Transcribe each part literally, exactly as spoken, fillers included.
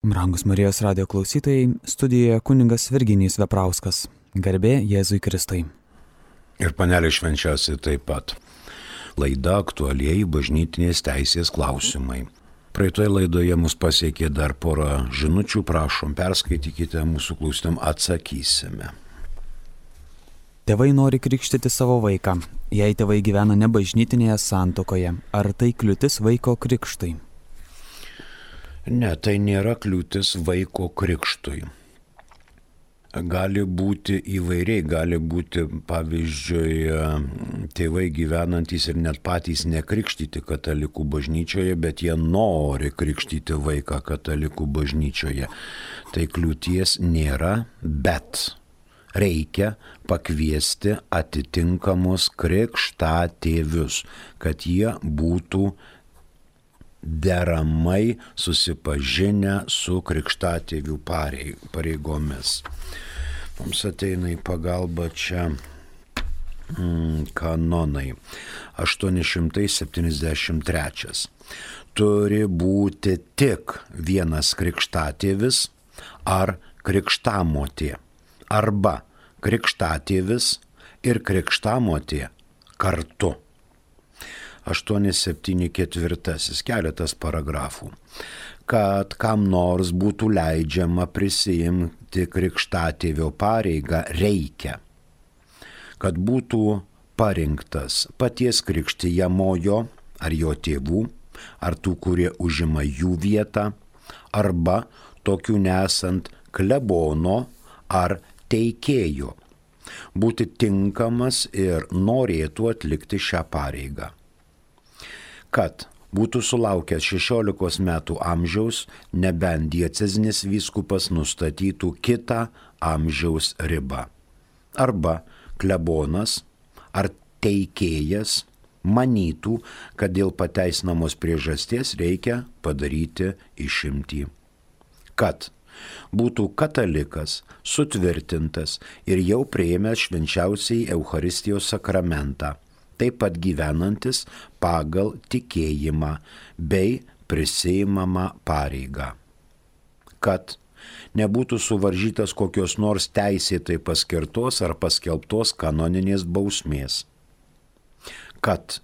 Brangus Marijos radijo klausytojai, studijoje kunigas Virginijus Veprauskas. Garbė Jėzui Kristui. Ir panelė švenčiausiai taip pat. Laida aktualieji bažnytinės teisės klausimai. Praeitoje laidoje mus pasiekė dar porą žinučių, prašom, perskaitykite, mūsų klausytam atsakysime. Tėvai nori krikštyti savo vaiką. Jei tėvai gyvena ne bažnytinėje santuokoje, ar tai kliūtis vaiko krikštui? Ne, tai nėra kliūtis vaiko krikštui. Gali būti įvairiai, gali būti, pavyzdžiui, tėvai gyvenantys ir net patys nekrikštyti katalikų bažnyčioje, bet jie nori krikštyti vaiką katalikų bažnyčioje. Tai kliūties nėra, bet reikia pakviesti atitinkamus krikštatėvius, kad jie būtų deramai susipažinę su krikštatėvių pareigomis. Mums ateina į pagalbą čia mm, kanonai. aštuoni šimtai septyniasdešimt trečias. Turi būti tik vienas krikštatėvis ar krikštamotė, arba krikštatėvis ir krikštamotė kartu. aštuoni septyni ketvirtasis, keletas paragrafų. Kad kam nors būtų leidžiama prisiimti krikštatėvio pareigą, reikia, kad būtų parinktas paties krikštijamojo ar jo tėvų, ar tų, kurie užima jų vietą, arba tokių nesant klebono ar teikėjo, būti tinkamas ir norėtų atlikti šią pareigą. Kad būtų sulaukęs šešiolikos metų amžiaus, nebent diecezinis vyskupas nustatytų kitą amžiaus ribą. Arba klebonas ar teikėjas manytų, kad dėl pateisinamos priežasties reikia padaryti išimtį. Kad būtų katalikas, sutvirtintas ir jau priėmęs švenčiausiai Eucharistijos sakramentą, taip pat gyvenantis pagal tikėjimą bei prisiimamą pareigą. Kad nebūtų suvaržytas kokios nors teisėtai paskirtos ar paskelbtos kanoninės bausmės. Kad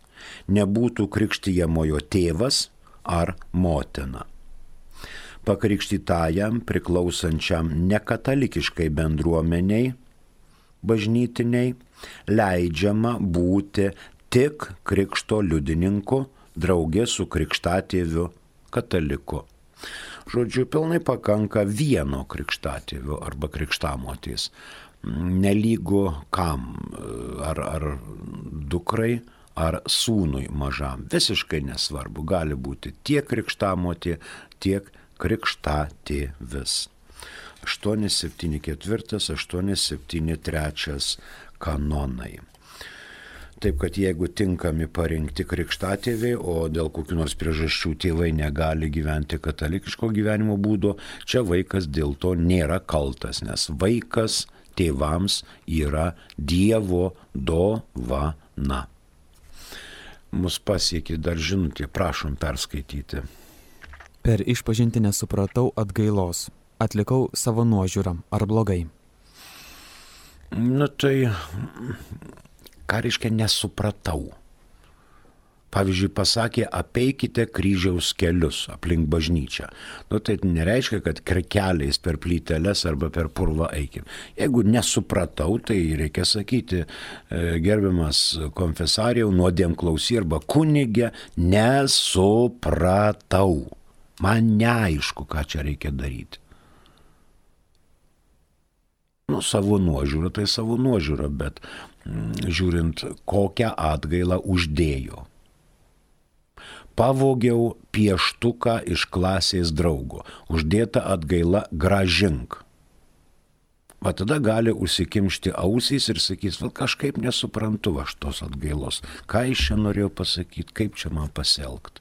nebūtų krikštijamojo tėvas ar motina. Pakrikštytajam priklausančiam nekatalikiškai bendruomeniai bažnytiniai leidžiama būti tik krikšto liudininku draugė su krikštatėviu kataliku. Žodžiu, pilnai pakanka vieno krikštatėvio arba krikštamotės. Nelygu kam, ar, ar dukrai, ar sūnui mažam. Visiškai nesvarbu, gali būti tiek krikštamotė, tiek krikštatėvis. aštuoni septyni ketvirtas, aštuoni septyni trečias kanonai. Taip, kad jeigu tinkami parinkti krikštatėviai, o dėl kokių nors priežasčių tėvai negali gyventi katalikiško gyvenimo būdo, čia vaikas dėl to nėra kaltas, nes vaikas tėvams yra Dievo dovana. Mus pasiekė dar žinutė, prašom perskaityti. Per išpažintį nesupratau atgailos. Atlikau savo nuožiūrą. Ar blogai? Nu tai, ką reiškia nesupratau? Pavyzdžiui, pasakė, apeikite kryžiaus kelius aplink bažnyčią. Nu tai nereiškia, kad keliais per plyteles arba per purvą eikim. Jeigu nesupratau, tai reikia sakyti, gerbiamas konfesariau, nuodėmklausy arba kunigė, nesupratau. Man neaišku, ką čia reikia daryti. Nu, savo nuožiūrą, tai savo nuožiūrą, bet mm, žiūrint, kokią atgailą uždėjo. Pavogiau pieštuką iš klasės draugo. Uždėta atgaila grąžink. Va tada gali užsikimšti ausys ir sakys, val kažkaip nesuprantu aš tos atgailos. Ką iš čia norėjau pasakyti, kaip čia man pasielgti.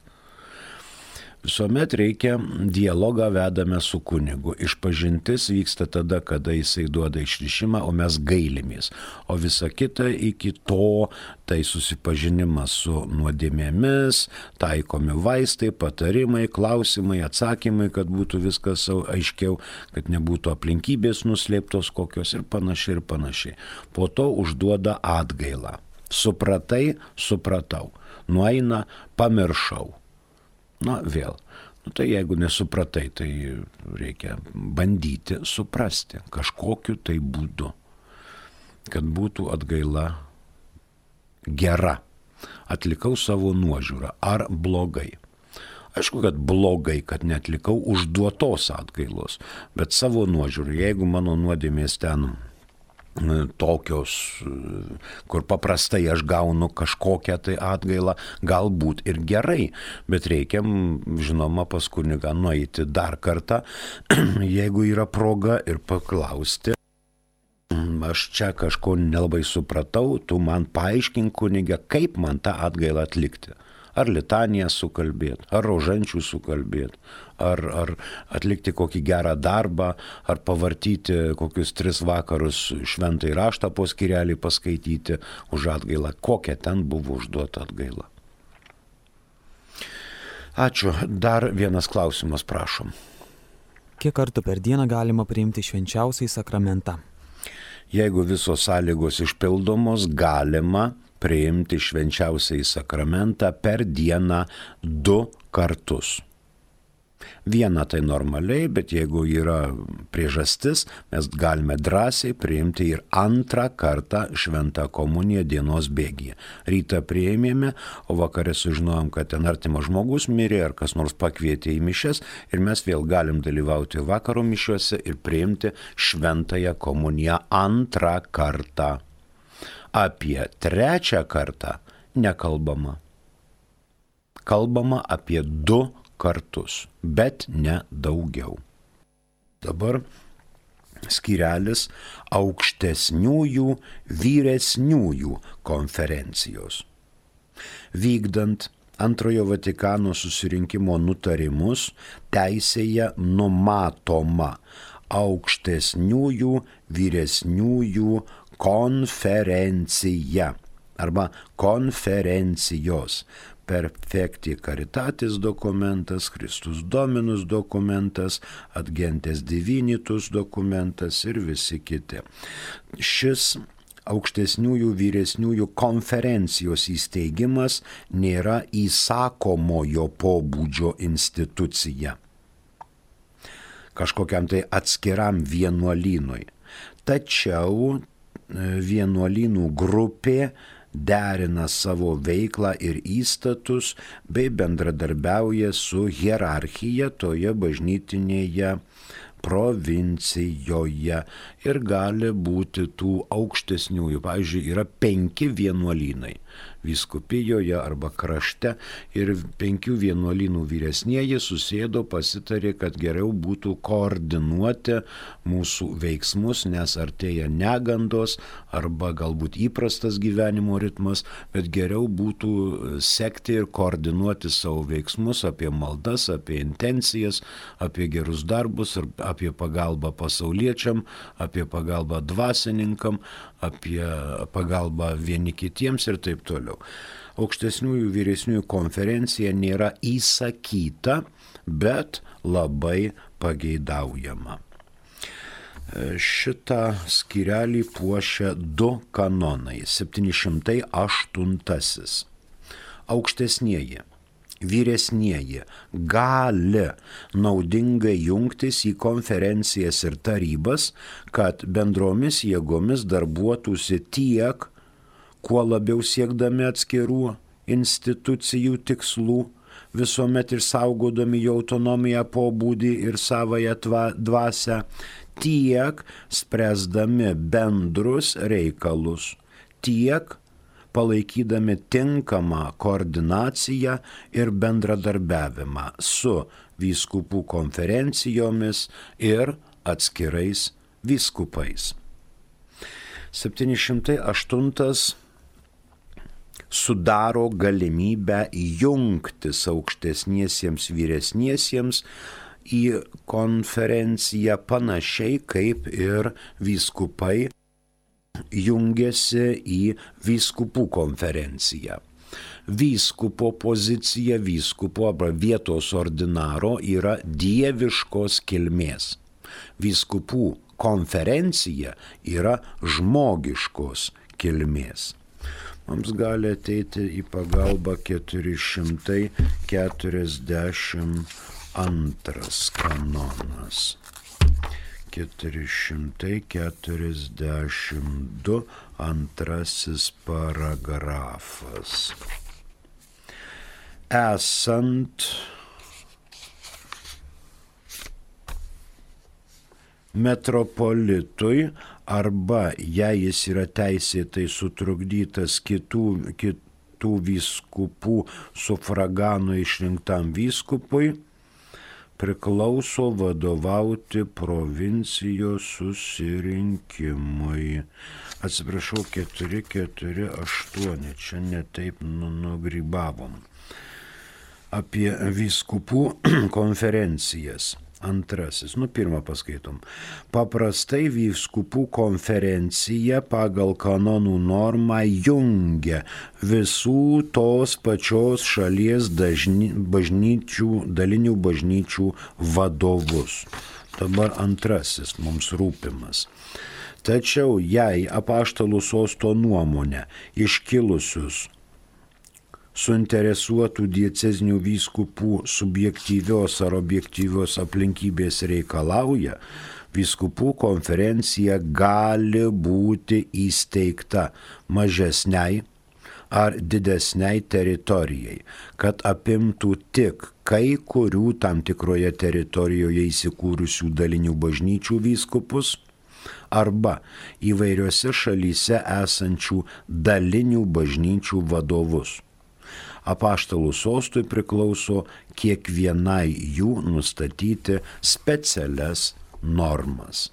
Visuomet reikia dialogą vedame su kunigu. Išpažintis vyksta tada, kada jisai duoda išrišimą, o mes gailimės. O visa kita iki to, tai susipažinimas su nuodėmėmis, taikomi vaistai, patarimai, klausimai, atsakymai, kad būtų viskas aiškiau, kad nebūtų aplinkybės nuslėptos kokios ir panašiai ir panašiai. Po to užduoda atgailą. Supratai, supratau. Nueina, pamiršau. Na, vėl. Nu, tai jeigu nesupratai, tai reikia bandyti suprasti kažkokiu tai būdu, kad būtų atgaila gera. Atlikau savo nuožiūrą. Ar blogai? Aišku, kad blogai, kad netlikau užduotos atgailos, bet savo nuožiūrą, jeigu mano nuodėmės ten tokios, kur paprastai aš gaunu kažkokią tai atgailą, galbūt ir gerai, bet reikia, žinoma, pas kunigą nueiti dar kartą, jeigu yra proga, ir paklausti, aš čia kažko nelabai supratau, tu man paaiškink, kunige, kaip man tą atgailą atlikti. Ar litaniją sukalbėti, ar rožančių sukalbėti, ar, ar atlikti kokį gerą darbą, ar pavartyti kokius tris vakarus šventąjį raštą po skyrelį paskaityti už atgailą. Kokia ten buvo užduota atgaila. Ačiū. Dar vienas klausimas, prašom. Kiek kartų per dieną galima priimti švenčiausiąjį sakramentą? Jeigu visos sąlygos išpildomos, galima priimti švenčiausiąjį sakramentą per dieną du kartus. Vieną tai normaliai, bet jeigu yra priežastis, mes galime drąsiai priimti ir antrą kartą šventą komuniją dienos bėgyje. Rytą priėmėme, o vakarė sužinojom, kad ten artimas žmogus mirė ar kas nors pakvietė į mišias ir mes vėl galim dalyvauti vakaro mišiuose ir priimti šventąją komuniją antrą kartą. Apie trečią kartą nekalbama. Kalbama apie du kartus, bet ne daugiau. Dabar skyrelis aukštesniųjų vyresniųjų konferencijos. Vykdant Antrojo Vatikano susirinkimo nutarimus, teisėje numatoma aukštesniųjų vyresniųjų konferencija arba konferencijos. Perfecti Caritatis dokumentas, Christus Dominus dokumentas, Ad Gentes Divinitus dokumentas ir visi kiti. Šis aukštesniųjų vyresniųjų konferencijos įsteigimas nėra įsakomojo pobūdžio institucija kažkokiam tai atskiram vienuolynui. Tačiau vienuolynų grupė derina savo veiklą ir įstatus bei bendradarbiauja su hierarchija toje bažnytinėje provincijoje ir gali būti tų aukštesniųjų. Pavyzdžiui, yra penki vienuolynai vyskupijoje arba krašte ir penkių vienuolynų vyresnieji susėdo, pasitarė, kad geriau būtų koordinuoti mūsų veiksmus, nes artėja negandos arba galbūt įprastas gyvenimo ritmas, bet geriau būtų sekti ir koordinuoti savo veiksmus apie maldas, apie intencijas, apie gerus darbus, apie pagalbą pasauliečiam, apie pagalbą dvasininkam, apie pagalbą vieni kitiems ir taip toliau. Aukštesniųjų vyresniųjų konferencija nėra įsakyta, bet labai pageidaujama. Šitą skyrelį puošia du kanonai. septyni šimtai aštuntasis. Aukštesnieji, vyresnieji gali naudingai jungtis į konferencijas ir tarybas, kad bendromis jėgomis darbuotųsi tiek, kuo labiau siekdami atskirų institucijų tikslų, visuomet ir saugodami jų autonomiją, pobūdį ir savąją dvasią, tiek spręsdami bendrus reikalus, tiek palaikydami tinkamą koordinaciją ir bendradarbiavimą su vyskupų konferencijomis ir atskirais vyskupais. septyni šimtai aštuntas sudaro galimybę jungtis aukštesniesiems vyresniesiems į konferenciją panašiai kaip ir vyskupai jungiasi į vyskupų konferenciją. Vyskupo pozicija, vyskupo arba vietos ordinaro yra dieviškos kilmės. Vyskupų konferencija yra žmogiškos kilmės. Mums gali ateiti į pagalbą keturi šimtai keturiasdešimt antras kanonas. keturi šimtai keturiasdešimt du antrasis paragrafas. Esant metropolitui arba jei jis yra teisėtai sutrukdytas kitų, kitų vyskupų sufraganų išrinktam vyskupui, priklauso vadovauti provincijos susirinkimui. Atsiprašau, keturi keturi aštuoni, čia netaip nu, nugrybavom. Apie vyskupų konferencijas. Antrasis, nu pirmą paskaitom. Paprastai vyskupų konferencija pagal kanonų normą jungia visų tos pačios šalies dažni, bažnyčių, dalinių bažnyčių vadovus. Dabar antrasis mums rūpimas. Tačiau jei apaštalų sosto nuomonę iškilusius suinteresuotų diecezinių vyskupų subjektyvios ar objektyvios aplinkybės reikalauja, vyskupų konferencija gali būti įsteigta mažesniai ar didesniai teritorijai, kad apimtų tik kai kurių tam tikroje teritorijoje įsikūrusių dalinių bažnyčių vyskupus arba įvairiose šalyse esančių dalinių bažnyčių vadovus. Apaštalų sostui priklauso kiekvienai jų nustatyti specialias normas.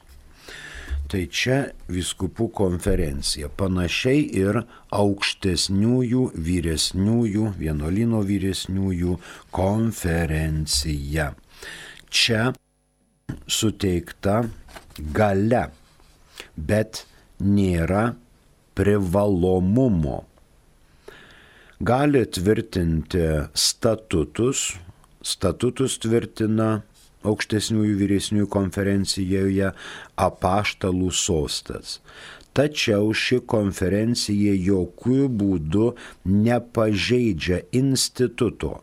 Tai čia vyskupų konferencija, panašiai ir aukštesniųjų, vyresniųjų, vienuolyno vyresniųjų konferencija. Čia suteikta galia, bet nėra privalomumo. Gali tvirtinti statutus, statutus tvirtina aukštesniųjų vyresniųjų konferencijoje apaštalų sostas. Tačiau ši konferencija jokių būdų nepažeidžia instituto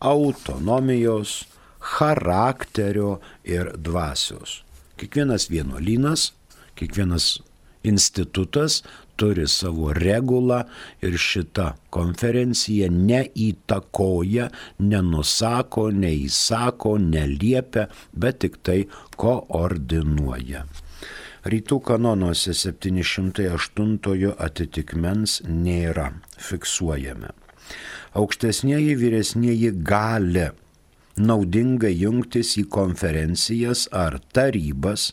autonomijos, charakterio ir dvasios. Kiekvienas vienuolynas, kiekvienas institutas turi savo regulą ir šita konferencija neįtakoja, nenusako, neįsako, neliepia, bet tik tai koordinuoja. Rytų kanonuose septyni šimtai aštuntojo atitikmens nėra, fiksuojame. Aukštesnieji vyresnieji gali naudingai jungtis į konferencijas ar tarybas,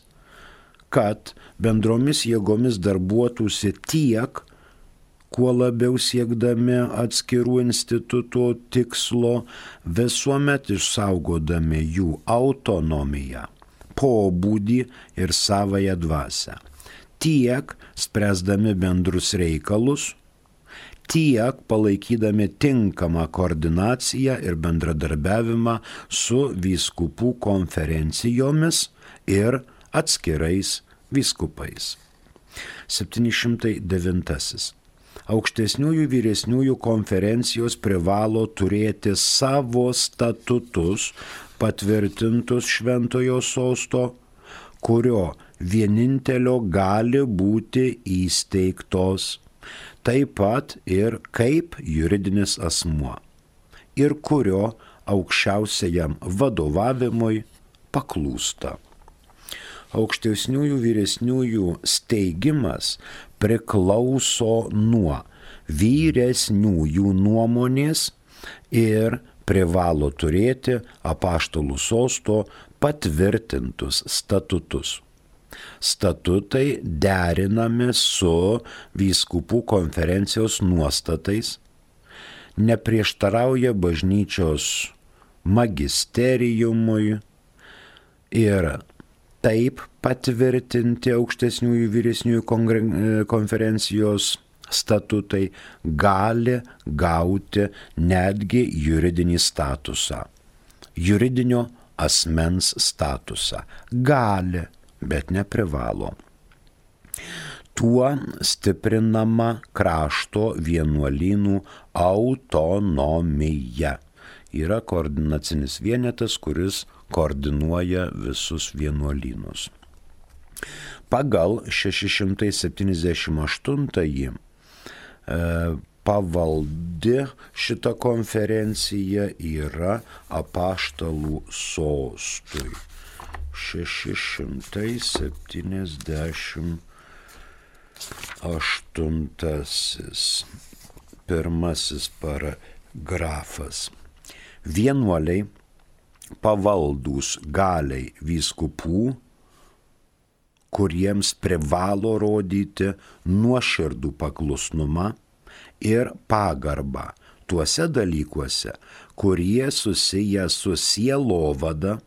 kad bendromis jėgomis darbuotųsi tiek, kuo labiau siekdami atskirų institutų tikslo, visuomet išsaugodami jų autonomiją, pobūdį ir savąją dvasią. Tiek spręsdami bendrus reikalus, tiek palaikydami tinkamą koordinaciją ir bendradarbiavimą su vyskupų konferencijomis ir atskirais vyskupais. septyni šimtai devintasis. Aukštesniųjų vyresniųjų konferencijos privalo turėti savo statutus patvirtintus šventojo sosto, kurio vienintelio gali būti įsteigtos, taip pat ir kaip juridinis asmuo, ir kurio aukščiausiajam vadovavimui paklūsta. Aukštesniųjų vyresniųjų steigimas priklauso nuo vyresniųjų nuomonės ir privalo turėti apaštalų sosto patvirtintus statutus. Statutai derinami su vyskupų konferencijos nuostatais, neprieštarauja bažnyčios magisteriumui ir taip patvirtinti aukštesniųjų vyresniųjų konferencijos statutai gali gauti netgi juridinį statusą, juridinio asmens statusą. Gali, bet neprivalo. Tuo stiprinama krašto vienuolynų autonomija. Yra koordinacinis vienetas, kuris koordinuoja visus vienuolynus. Pagal šeši šimtai septyniasdešimt aštuntąjį pavaldi šita konferencija yra apaštalų sostui. šeši šimtai septyniasdešimt aštuntasis pirmasis paragrafas. Vienuoliai pavaldūs galiai vyskupų, kuriems privalo rodyti nuoširdų paklusnumą ir pagarbą tuose dalykuose, kurie susiję su sielovada,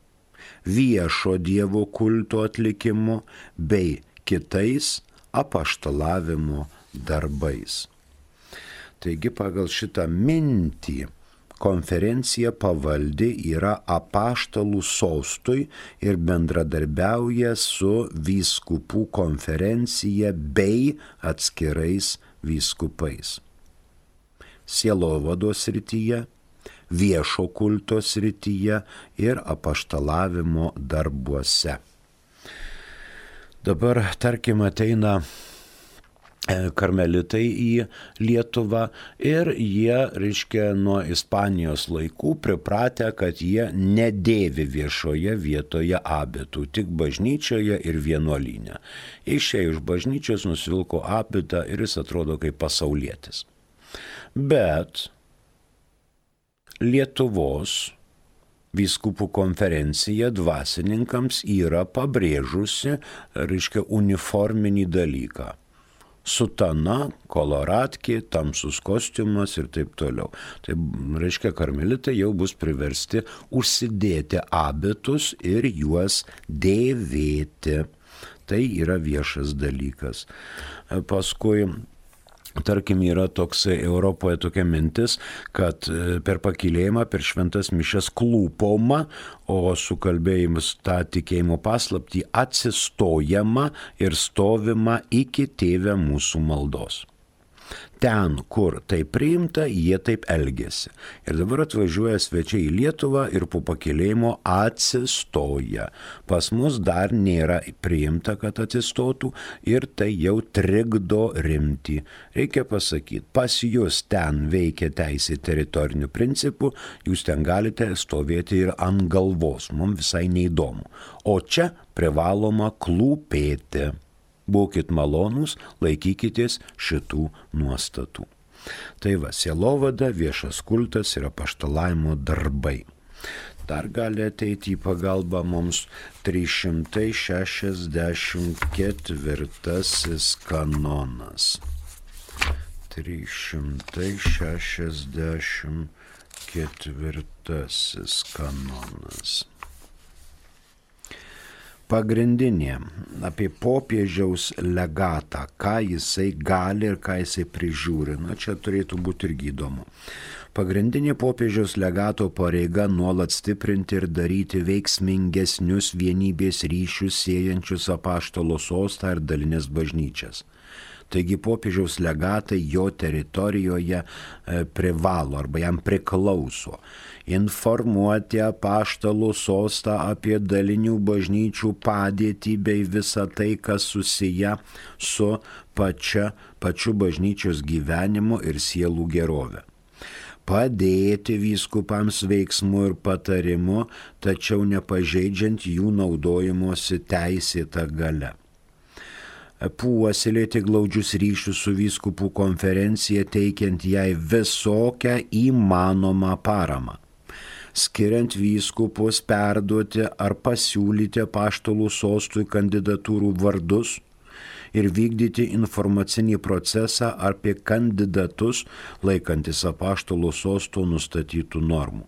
viešo Dievo kulto atlikimu bei kitais apaštalavimo darbais. Taigi pagal šitą mintį konferencija pavaldi yra apaštalų sostui ir bendradarbiauja su vyskupų konferencija bei atskirais vyskupais. Sielovados srityje, viešo kulto srityje ir apaštalavimo darbuose. Dabar, tarkim, ateina karmelitai į Lietuvą ir jie, reiškia, nuo Ispanijos laikų pripratę, kad jie nedėvi viešoje vietoje abitų, tik bažnyčioje ir vienuolyne. Išėjo iš bažnyčios, nusivilko abitą ir jis atrodo kaip pasaulietis. Bet Lietuvos vyskupų konferencija dvasininkams yra pabrėžusi, reiškia, uniforminį dalyką. Sutana, koloratkė, tamsus kostiumas ir taip toliau. Tai reiškia, karmelitai jau bus priversti užsidėti abitus ir juos dėvėti. Tai yra viešas dalykas. Paskui, tarkim, yra toksai Europoje tokia mintis, kad per pakylėjimą, per šventas mišias klūpoma, o sukalbėjimus tą tikėjimo paslaptį atsistojama ir stovima iki Tėve mūsų maldos. Ten, kur tai priimta, jie taip elgėsi. Ir dabar atvažiuoja svečiai į Lietuvą ir po pakylėjimo atsistoja. Pas mus dar nėra priimta, kad atsistotų ir tai jau trikdo rimtį. Reikia pasakyti, pas jūs ten veikia teisė teritorinių principų, jūs ten galite stovėti ir ant galvos, mums visai neįdomu. O čia privaloma klūpėti. Būkit malonūs, laikykitės šitų nuostatų. Tai va, sielovada, viešas kultas ir apaštalavimo darbai. Dar gali ateiti į pagalbą mums trys šimtai šešiasdešimt ketvirtasis kanonas. trys šimtai šešiasdešimt ketvirtasis kanonas. Pagrindinė apie popiežiaus legatą, ką jisai gali ir ką jisai prižiūri. Na, čia turėtų būti irgi įdomu. Pagrindinė popiežiaus legato pareiga nuolat stiprinti ir daryti veiksmingesnius vienybės ryšius siejančius apaštalo sostą ir dalinės bažnyčias. Taigi popiežiaus legatai jo teritorijoje e, privalo arba jam priklauso informuoti apaštalų sostą apie dalinių bažnyčių padėtį bei visą tai, kas susiję su pačia, pačiu bažnyčios gyvenimu ir sielų gerove. Padėti vyskupams veiksmu ir patarimu, tačiau nepažeidžiant jų naudojimosi teisėtą galią. Puoselėti glaudžius ryšius su vyskupų konferencija, teikiant jai visokią įmanomą paramą. Skiriant vyskupus perduoti ar pasiūlyti apaštalų sostui kandidatūrų vardus ir vykdyti informacinį procesą apie kandidatus laikantis apaštalų sosto nustatytų normų.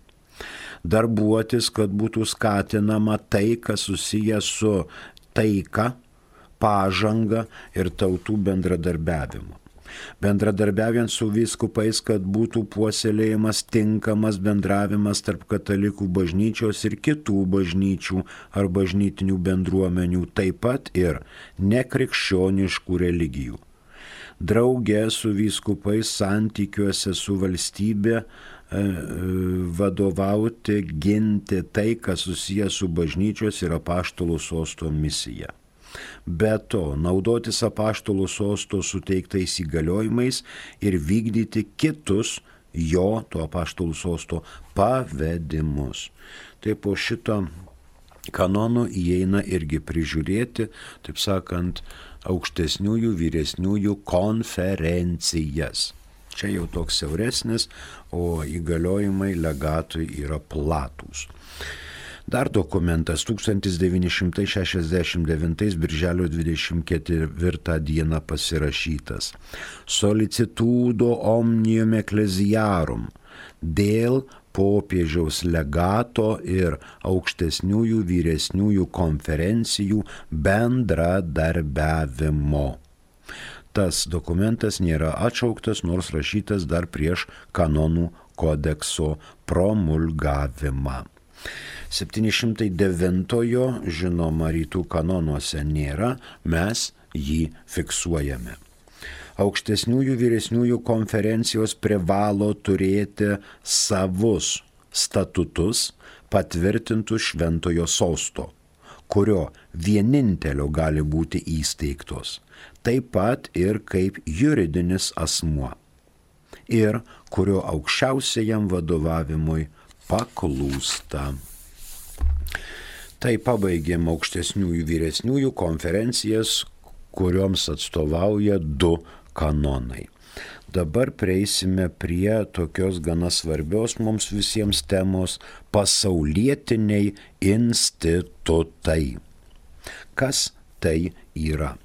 Darbuotis, kad būtų skatinama tai, kas susijęs su taika, pažanga ir tautų bendradarbiavimu. Bendradarbiaujant su vyskupais, kad būtų puoselėjimas tinkamas bendravimas tarp katalikų bažnyčios ir kitų bažnyčių ar bažnytinių bendruomenių, taip pat ir nekrikščioniškų religijų. Drauge su vyskupais santykiuose su valstybė vadovauti, ginti tai, kas susijęs su bažnyčios ir apaštalų sosto misija. Be to, naudotis apaštalų sosto suteiktais įgaliojimais ir vykdyti kitus jo, to apaštalų sosto, pavedimus. Tai po šito kanono įeina irgi prižiūrėti, taip sakant, aukštesniųjų, vyresniųjų konferencijas. Čia jau toks siauresnis, o įgaliojimai legatui yra platūs. Dar dokumentas tūkstantis devyni šimtai šešiasdešimt devintais birželio dvidešimt ketvirtą dieną pasirašytas Solicitudo omnium ecclesiarum dėl popiežiaus legato ir aukštesniųjų vyresniųjų konferencijų bendradarbiavimo. Tas dokumentas nėra atšauktas, nors rašytas dar prieš kanonų kodekso promulgavimą. septyni šimtai devintojo, žinoma, rytų kanonuose nėra, mes jį fiksuojame. Aukštesniųjų vyresniųjų konferencijos privalo turėti savus statutus patvirtintus šventojo sosto, kurio vienintelio gali būti įsteigtos, taip pat ir kaip juridinis asmuo, ir kurio aukščiausiajam vadovavimui paklūsta. Tai pabaigėm aukštesniųjų vyresniųjų konferencijas, kurioms atstovauja du kanonai. Dabar prieisime prie tokios gana svarbios mums visiems temos – pasaulietiniai institutai. Kas tai yra?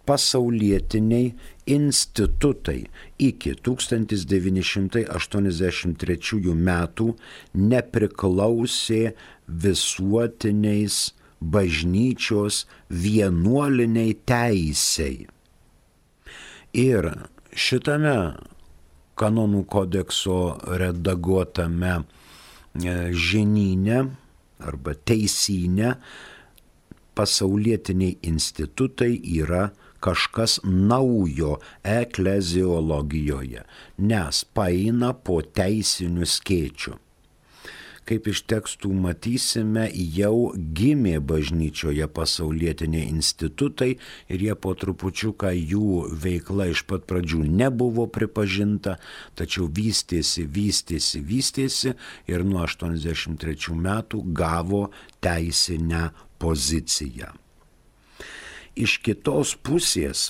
Pasaulietiniai institutai iki tūkstantis devyni šimtai aštuoniasdešimt trečiųjų metų nepriklausė visuotiniais bažnyčios vienuoliniai teisei. Ir šitame kanonų kodekso redaguotame žinyne arba teisyne pasaulietiniai institutai yra kažkas naujo ekleziologijoje, nes paeina po teisinių skėčių. Kaip iš tekstų matysime, jau gimė bažnyčioje pasaulietiniai institutai ir jie po trupučiuką jų veikla iš pat pradžių nebuvo pripažinta, tačiau vystėsi, vystėsi, vystėsi ir nuo aštuoniasdešimt trečių metų gavo teisinę poziciją. Iš kitos pusės,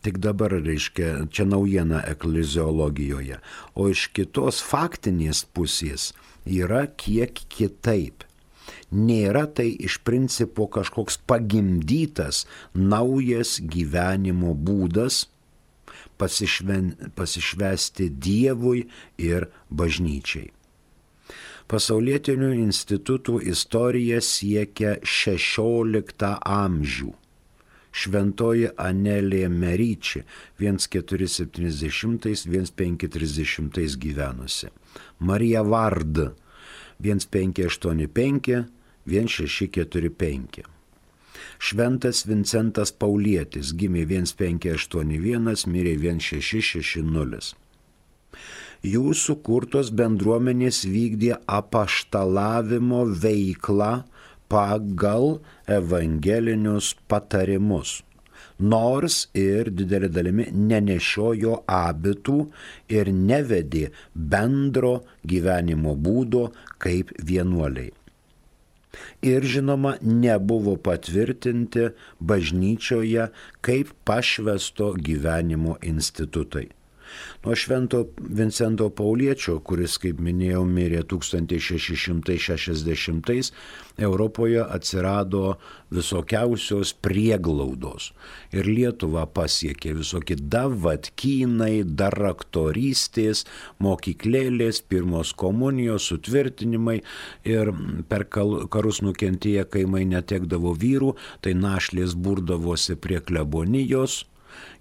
tik dabar reiškia, čia naujiena ekleziologijoje, o iš kitos faktinės pusės yra kiek kitaip. Nėra tai iš principo kažkoks pagimdytas naujas gyvenimo būdas pasišven, pasišvesti Dievui ir bažnyčiai. Pasaulietinių institutų istorija siekia šešioliktą amžių. Šventoji Anelė Meriči keturi septyniasdešimtais - penki trisdešimtais gyvenusi. Marija Vard penki aštuoni penki - šeši keturi penki. Šventas Vincentas Paulietis gimė penki aštuoni vienas, mirė šeši šeši nulis. Jų sukurtos bendruomenės vykdė apaštalavimo veiklą pagal evangelinius patarimus, nors ir didelė dalimi nenešiojo abitų ir nevedė bendro gyvenimo būdo kaip vienuoliai. Ir žinoma, nebuvo patvirtinti bažnyčioje kaip pašvęsto gyvenimo institutai. Nuo Švento Vincento Pauliečio, kuris, kaip minėjau, mirė tūkstantis šeši šimtai šešiasdešimtais, Europoje atsirado visokiausios prieglaudos. Ir Lietuvą pasiekė visokie davatkynai, daraktorystės, mokyklėlės, pirmos komunijos, sutvirtinimai. Ir per karus nukentėję kaimai netekdavo vyrų, tai našlės burdavosi prie klebonijos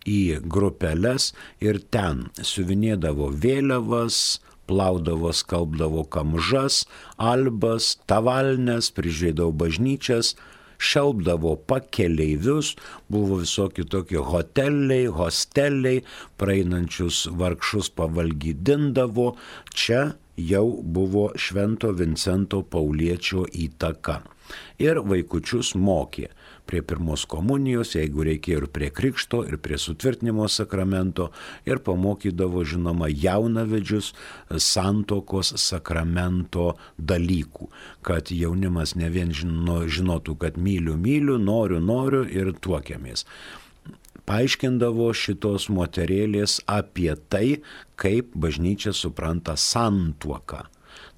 į grupeles ir ten siuvinėdavo vėliavas, plaudavo, skalbdavo kamžas, albas, tavalnes, prižiūrėdavo bažnyčias, šelbdavo pakeleivius, buvo visokie tokie hoteliai, hosteliai, praeinančius vargšus pavalgydindavo. Čia jau buvo Švento Vincento Pauliečio įtaka. Ir vaikučius mokė prie pirmos komunijos, jeigu reikėjo, ir prie krikšto, ir prie sutvirtinimo sakramento, ir pamokydavo, žinoma, jaunavedžius santuokos sakramento dalykų, kad jaunimas ne vien žino, žinotų, kad myliu, myliu, noriu, noriu ir tuokiamės. Paaiškindavo šitos moterėlės apie tai, kaip bažnyčia supranta santuoką.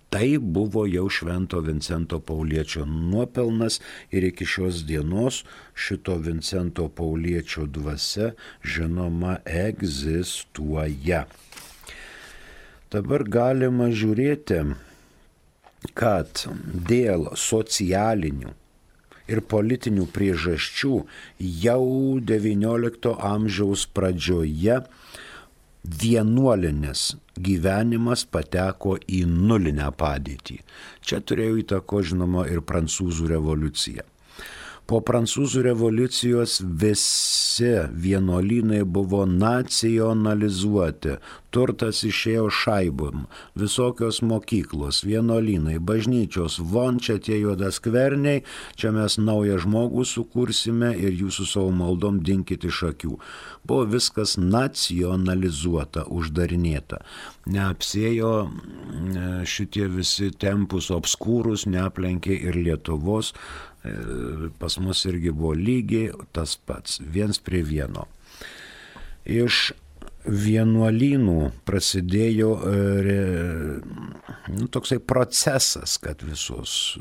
Tai buvo jau Švento Vincento Pauliečio nuopelnas ir iki šios dienos šito Vincento Pauliečio dvasia, žinoma, egzistuoja. Dabar galima žiūrėti, kad dėl socialinių ir politinių priežasčių jau devyniolikto amžiaus pradžioje vienuolinis gyvenimas pateko į nulinę padėtį. Čia turėjo įtako, žinoma, ir Prancūzų revoliucija. Po Prancūzų revoliucijos visi vienuolynai buvo nacionalizuoti, turtas išėjo šaibom, visokios mokyklos, vienuolynai, bažnyčios, von čia tie juodaskverniai, čia mes naują žmogų sukursime ir jūsų savo maldom dinkit iš akių. Buvo viskas nacionalizuota, uždarinėta. Neapsėjo šitie visi tempus obskūrus, neaplenkė ir Lietuvos. Pas mus irgi buvo lygiai tas pats, viens prie vieno. Iš vienuolynų prasidėjo nu, toksai procesas, kad visos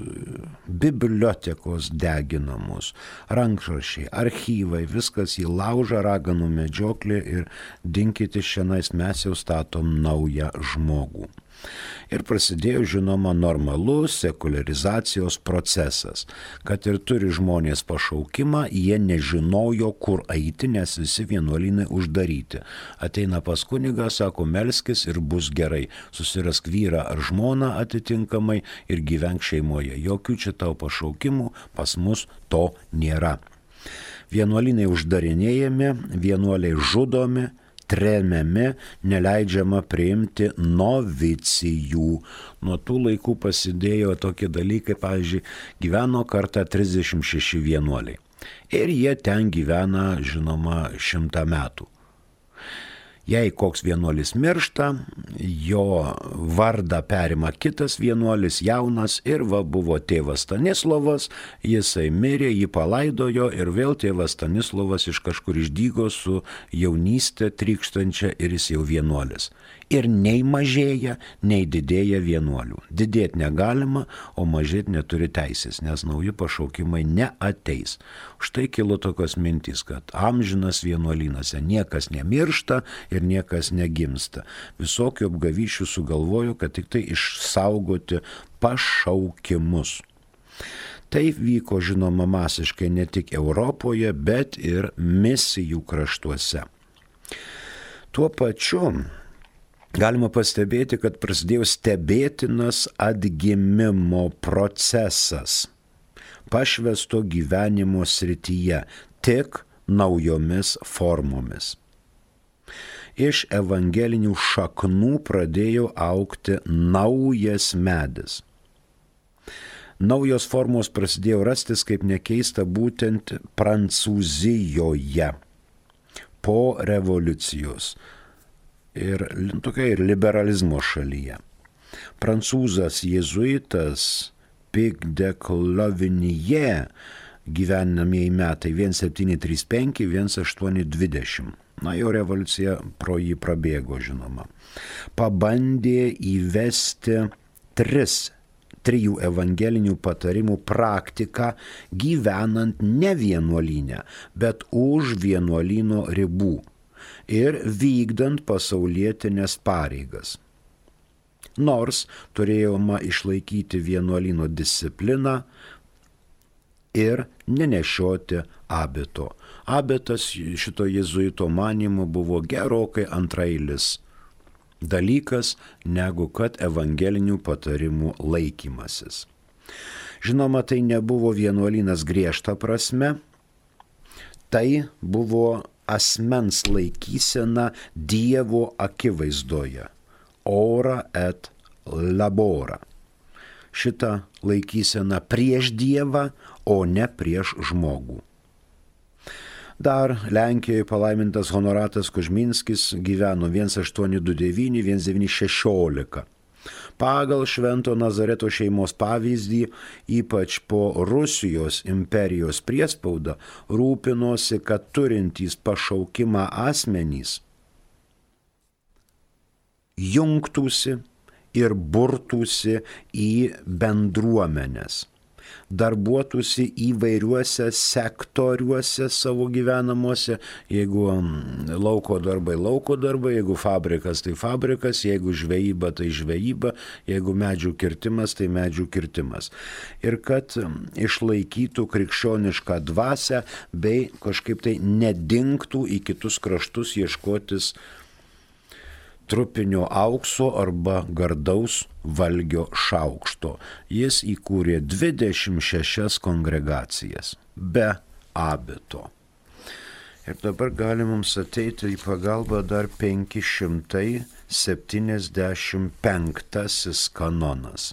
bibliotekos deginamos, rankraščiai, archyvai, viskas į laužą, raganų medžioklė ir dinkite šiandien, mes jau statom naują žmogų. Ir prasidėjo, žinoma, normalus sekularizacijos procesas, kad ir turi žmonės pašaukimą, jie nežinojo, kur eiti, nes visi vienuolynai uždaryti. Ateina pas kunigą, sako, melskis ir bus gerai, susirask vyrą ar žmoną atitinkamai ir gyvenk šeimoje. Jokių čia tau pašaukimų, pas mus to nėra. Vienuolynai uždarinėjami, vienuoliai žudomi, tremiami, neleidžiama priimti novicijų. Nuo tų laikų pasidėjo tokie dalykai, pavyzdžiui, gyveno kartą trisdešimt šeši vienuoliai. Ir jie ten gyvena, žinoma, šimtą metų. Jei koks vienuolis miršta, jo vardą perima kitas vienuolis, jaunas, ir va buvo tėvas Stanislovas, jisai mirė, jį palaidojo ir vėl tėvas Stanislovas iš kažkur išdygo su jaunystė trykštančia ir jis jau vienuolis. Ir nei mažėja, nei didėja vienuolių. Didėti negalima, o mažėti neturi teisės, nes nauji pašaukimai neateis. Štai kilo tokios mintys, kad amžinas vienuolynose niekas nemiršta ir niekas negimsta. Visokių apgavyšių sugalvojo, kad tik tai išsaugoti pašaukimus. Tai vyko, žinoma, masiškai ne tik Europoje, bet ir misijų kraštuose. Tuo pačiu galima pastebėti, kad prasidėjo stebėtinas atgimimo procesas pašvęsto gyvenimo srityje, tik naujomis formomis. Iš evangelinių šaknų pradėjo augti naujas medis. Naujos formos prasidėjo rastis, kaip nekeista, būtent Prancūzijoje po revoliucijos. Ir tokia ir liberalizmo šalyje. Prancūzas jėzuitas Pic de Clovinyje, gyvenamieji metai vienas septyni trys penki, vienas aštuoni dvidešimt. Na, jo revoliucija pro jį prabėgo, žinoma. Pabandė įvesti tris, trijų evangelinių patarimų praktiką gyvenant ne vienuolyne, bet už vienuolyno ribų ir vykdant pasaulietinės pareigas. Nors turėjoma išlaikyti vienuolyno discipliną ir nenešioti abito. Abitas šito jėzuito manymu buvo gerokai antrailis dalykas, negu kad evangelinių patarimų laikymasis. Žinoma, tai nebuvo vienuolynas griežta prasme, tai buvo asmens laikysena Dievo akivaizdoje. Ora et labora. Šitą laikysena prieš Dievą, o ne prieš žmogų. Dar Lenkijoje palaimintas Honoratas Kužminskis gyveno vienas aštuoni du devyni vienas devyni šešiolika. Pagal Švento Nazareto šeimos pavyzdį, ypač po Rusijos imperijos priespaudą, rūpinosi, kad turintys pašaukimą asmenys jungtųsi ir burtųsi į bendruomenes, darbuotųsi įvairiuose sektoriuose savo gyvenamuose, jeigu lauko darbai, lauko darbai, jeigu fabrikas, tai fabrikas, jeigu žvejyba, tai žvejyba, jeigu medžių kirtimas, tai medžių kirtimas. Ir kad išlaikytų krikščionišką dvasią bei kažkaip tai nedingtų į kitus kraštus ieškotis trupinio aukso arba gardaus valgio šaukšto. Jis įkūrė dvidešimt šešias kongregacijas be abito. Ir dabar gali mums ateiti į pagalbą dar penki šimtai septyniasdešimt penktasis kanonas.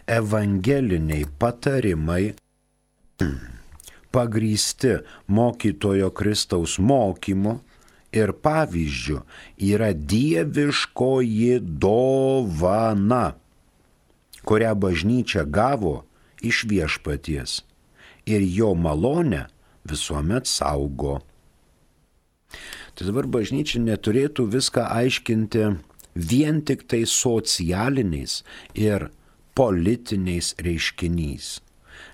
Evangeliniai patarimai pagrįsti mokytojo Kristaus mokymu ir pavyzdžių yra dieviškoji dovana, kurią bažnyčia gavo iš viešpaties ir jo malonę visuomet saugo. Tai dabar bažnyčia neturėtų viską aiškinti vien tik tai socialiniais ir politiniais reiškiniais,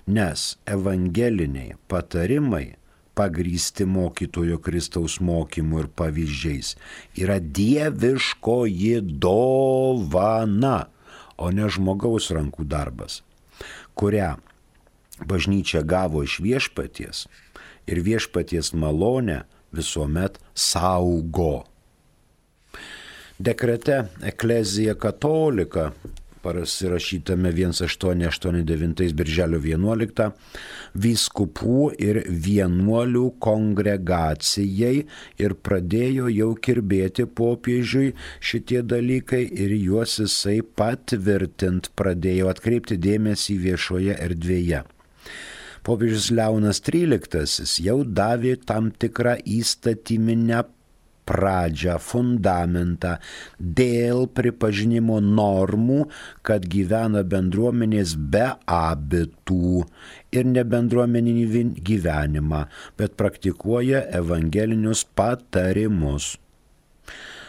nes evangeliniai patarimai pagrįsti mokytojo Kristaus mokymu ir pavyzdžiais yra dieviškoji dovana, o ne žmogaus rankų darbas, kurią bažnyčia gavo iš viešpaties ir viešpaties malonę visuomet saugo. Dekrete Ecclesia Catholica, pasirašytame vienas aštuoni aštuoni devyni birželio vienuoliktą, vyskupų ir vienuolių kongregacijai ir pradėjo jau kirbėti popiežiui šitie dalykai ir juos jisai patvirtint pradėjo, atkreipti dėmesį viešoje erdvėje. Popiežius Leonas tryliktasis jau davė tam tikrą įstatyminę pradžią, fundamentą dėl pripažinimo normų, kad gyvena bendruomenės be abitų ir ne bendruomeninį gyvenimą, bet praktikuoja evangelinius patarimus.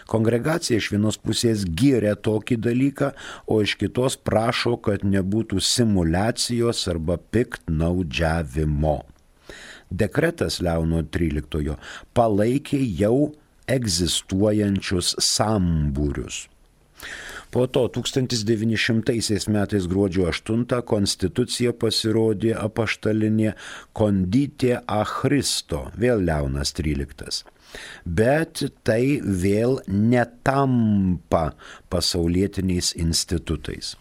Kongregacija iš vienos pusės giria tokį dalyką, o iš kitos prašo, kad nebūtų simuliacijos arba piktnaudžiavimo. Dekretas Leono tryliktojo palaikė jau egzistuojančius sambūrius. Po to tūkstantis devyni šimtai metais gruodžio aštuntą konstitucija pasirodė apaštalinė Condite a Christo, vėl Leonas tryliktas. Bet tai vėl netampa pasaulietiniais institutais.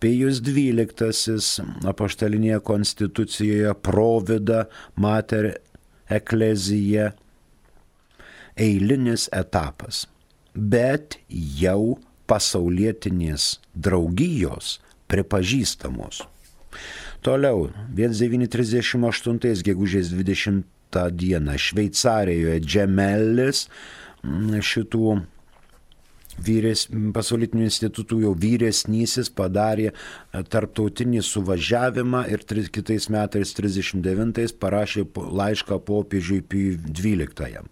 Pijus dvyliktasis apaštalinėje konstitucijoje Provida Mater Ecclesiae eilinis etapas, bet jau pasaulietinės draugijos pripažįstamos. Toliau, devyni trisdešimt aštuntais gegužės dvidešimtą dieną Šveicarijoje Džemelis šitų vyres, pasaulytinių institutų jau vyresnysis padarė tarptautinį suvažiavimą ir tri, kitais metais trisdešimt devintais parašė laišką popiežiui Pijui dvyliktajam.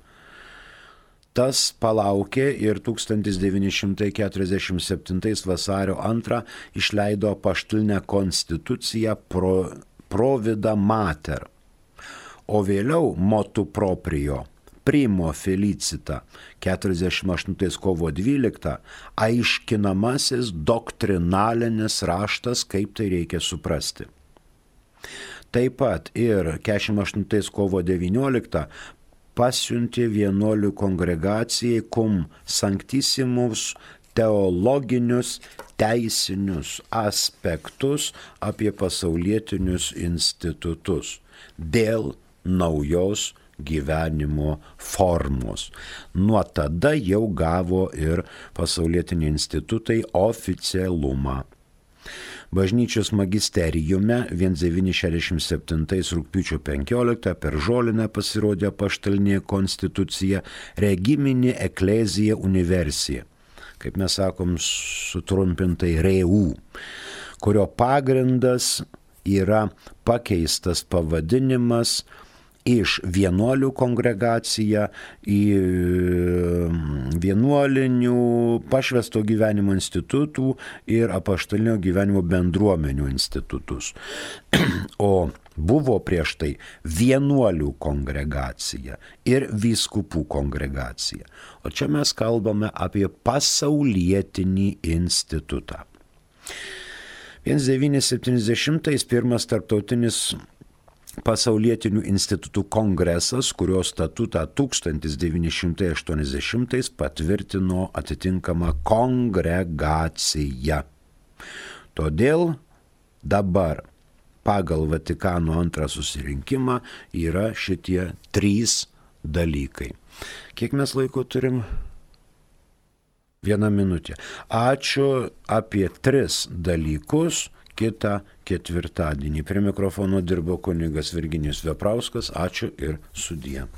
Tas palaukė ir tūkstantis devyni šimtai keturiasdešimt septintais vasario antrą išleido apaštalinę konstituciją pro, Provida Mater, o vėliau motu proprio Primo Felicita keturiasdešimt aštuntais kovo dvyliktą aiškinamasis doktrinalinis raštas, kaip tai reikia suprasti. Taip pat ir keturiasdešimt aštuntais kovo devynioliktą pasiuntė vienuolių kongregacijai cum sanctissimus teologinius teisinius aspektus apie pasaulietinius institutus dėl naujos gyvenimo formos. Nuo tada jau gavo ir pasaulietiniai institutai oficialumą. Bažnyčios magisteriume devyni šešiasdešimt septintais rugpjūčio penkioliktą per žolinę pasirodė apaštalinė konstitucija Regiminė Ecclesia Universia, kaip mes sakom sutrumpintai R E U, kurio pagrindas yra pakeistas pavadinimas iš vienuolių kongregacija į vienuolinių pašvęsto gyvenimo institutų ir apaštalinio gyvenimo bendruomenių institutus. O buvo prieš tai vienuolių kongregacija ir vyskupų kongregacija. O čia mes kalbame apie pasaulietinį institutą. devyni septyniasdešimtais pirmas tarptautinis pasaulietinių institutų kongresas, kurio statutą tūkstantis devyni šimtai aštuoniasdešimtais patvirtino atitinkama kongregacija. Todėl dabar pagal Vatikano antrą susirinkimą yra šitie trys dalykai. Kiek mes laiko turim? Vieną minutę. Ačiū apie tris dalykus. Kitą ketvirtadienį. Prie mikrofono dirbo kunigas Virginijus Veprauskas. Ačiū ir sudie.